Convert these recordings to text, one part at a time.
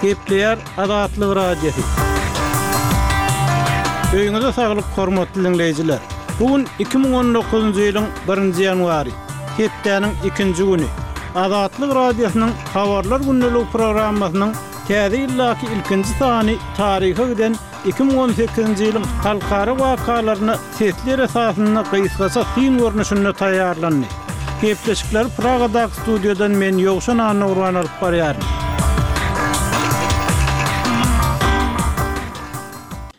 Gepleýär Azatlyk Radiosy. Öýüňize saglyk hormatly diňleýjiler. Bu gün 2019-njy ýylyň birinji ýanwary, hepdäniň ikinji güni. Azatlyk Radiosynyň Habarlar gündeligi programmasynyň täze ýyldaky ilkinji sany taryha giden 2018-nji ýylyň halkara wakalaryna sesler esasynda gysgaça syn görnüşinde taýýarlandy. Gepleşikleri Pragadaky studiýadan men Ýowşan Annagurban alyp barýaryn.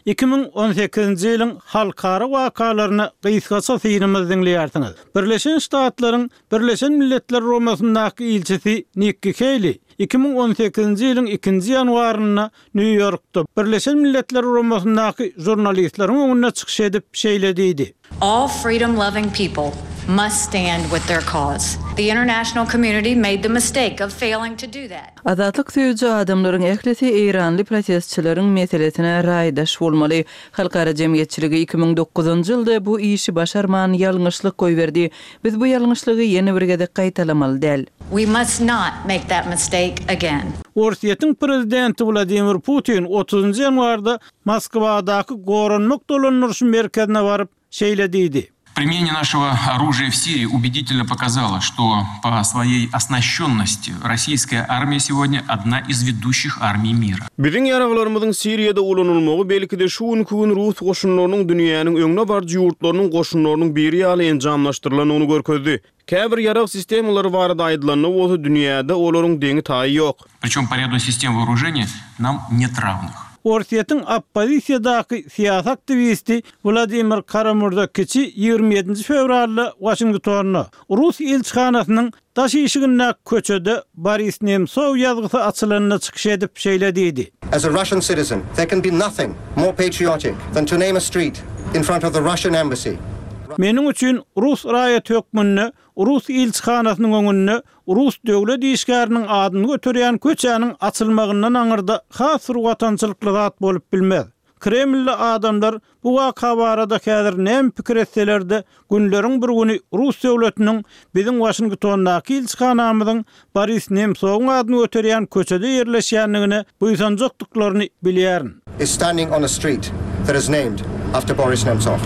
2018-nji ýylyň halkara wakalaryna gysgaça synymyzy diňleýärsiňiz. Birleşen Ştatlaryň Birleşen Milletler Guramasyndaky ilçisi Nikki Heýli 2018-nji ýylyň ikinji ýanwarynda Nýu-Ýorkda Birleşen Milletler Guramasyndaky žurnalistleriň öňünde çykyş edip, şeýle diýdi. All freedom-loving people must stand with their cause. The international community made the mistake of failing to do that. Azatlyk söýüji adamlaryň ählisi eýranly protestçileriň meselesine raýdaş bolmaly. Halkara jemgyýetçiligi 2009-njy ýylda bu işi başarman ýalňyşlyk goýberdi. Biz bu ýalňyşlygy ýene bir gezek gaýtalamaly däl. We must not make that mistake again. Orsýetiň prezidenti Wladimir Putin otuzynjy ýanwarda Moskwadaky Goranmak dolandyryş merkezine baryp, şeýle diýdi. Применение нашего оружия в Сирии убедительно показало, что по своей оснащенности российская армия сегодня одна из ведущих армий мира. Biziň ýaraglarymyzyň Siriýada ulanylmagy belki-de şu günki gün rus goşunlarynyň dünýäniň öňde baryjy ýurtlarynyň goşunlarynyň biri ýaly enjamlaşdyrylandygyny görkezdi. Käbir ýarag sistemalary barada aýdylanda bolsa dünýäde olaryň deňi-taýy ýok. Pričem po rýadu sistem woorujeniý nam net rawnych. Orsýetiň oppozisiýadaky syýasy aktiwisti Wladimir Kara-Murza kiçi 27-nji fewralda Waşingtonda, rus ilçihanasynyň Daş işigindäki köçede Boris Nemsow ýazgysy açylanda çykyş edip şeýle diýdi. As a Russian citizen, there can be nothing more patriotic than to name a street in front of the Russian embassy. Meniň üçin rus raýaty hökmünde rus ilçihanasynyň öňünde rus döwlet işgäriniň adyny göterýän köçäniň açylmagyndan aňyrda has bir watançylykly zat bolup bilmez. Kremlde adamlar bu waka barada häzir näme pikir etseler-de, günleriň bir güni rus döwletiniň biziň Waşingtondaky ilçihanamyzyň Boris Nemsowyň adyny göterýän köçede ýerleşýändigine buýsanjakdyklaryny bilýärin. Is standing on a street that is named after Boris Nemtsov.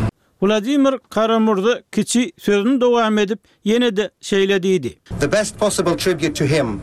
Wladimir Kara-Murza kiçi sözüni dowam edip, ýene-de şeýle diýdi. The best possible tribute to him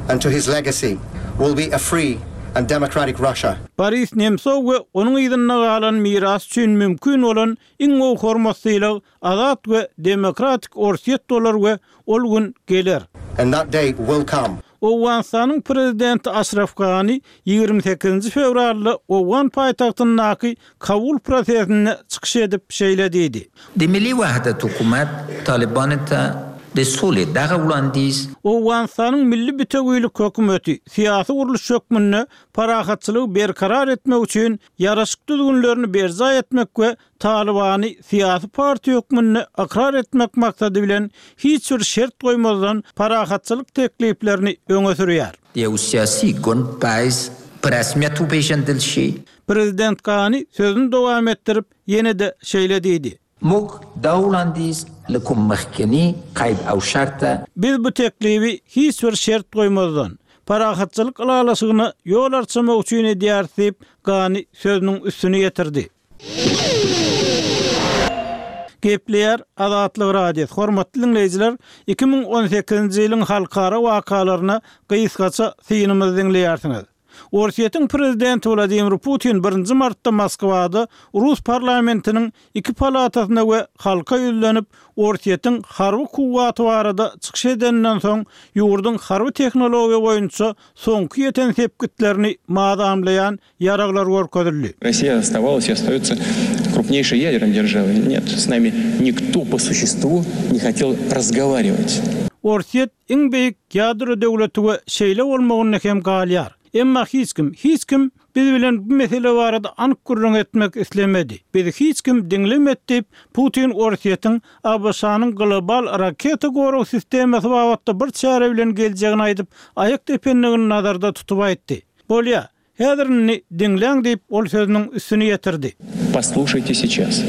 and to his legacy will be a free and democratic Russia. Boris Nemsow we onuň yzynda galan miras üçin mümkin bolan iň gowy hormat-sylag azat we demokratik Orsýet bolar we ol gün geler. And that day will come. Owganystanyň prezidenti Aşraf Gani 28-nji fewralda owgan paýtagtyndaky Kabul prosesinde çykyş edip şeýle diýdi. د ملي وحدت حکومت طالبانو ته د سولې دغه وړاندیز. Owganystanyň Milli bitewilik hökümeti syýasy gurluş hökmünde parahatçylygy berkarar etmek üçin ýaraşyk düzgünlerini berjaý etmek we Talybany syýasy partiýa hökmünde ykrar etmek maksady bilen hiç bir şert goýmazdan parahatçylyk tekliplerini öňe sürýär. د یو سیاسي ګوند په حیث په رسمیت وپېژندل شي. Prezident Gani sözüni dowam etdirip, ýene-de şeýle diýdi. موږ دا وړاندیز له کوم مخکني قید او شرطه. Biz bu teklibi hiç bir şert goýmazdan, parahatçylyk ylalaşygyna ýol arçamak üçin edýäris diýip, Gani sözüniň üstüni ýetirdi. Gepleýär Azatlyk Radiosy. Hormatly diňleýjiler, 2018-nji ýylyň halkara wakalaryna gysgaça synymyzy diňleýärsiňiz. Orsýetiň prezidenti Wladimir Putin birinji martda Moskwada rus parlamentiniň iki palatasyna we halka ýüzlenip, Orsýetiň harby kuwwaty barada çykyş edeninden soň, ýurduň harby tehnologiýa boýunça soňky ýeten sepgitlerini mazamlaýan ýaraglar görkezildi. Rossiýa ostawalas i ostaýotsa krupneýşeý ýadernoý deržawoý. Net, s nami nikto po suçestwu ne hotel razgowariwat. Orsýet iň beýik ýadro döwleti we şeýle bolmagynda hem galýar. Emma hiç kim, hiç kim biz bilen bu mesele barada anyk gürrüň etmek islemedi. Bizi hiç kim diňlemedi diýip, Putin Orsýetiň ABŞ-nyň global raketa gorag sistemasy babatda bir çäre bilen geljegini aýdyp, aýak dependigini nazarda tutup aýtdy. Bolýa, häzir indi diňläň diýip, ol sözüniň üstüni ýetirdi. Poslušajte seyças.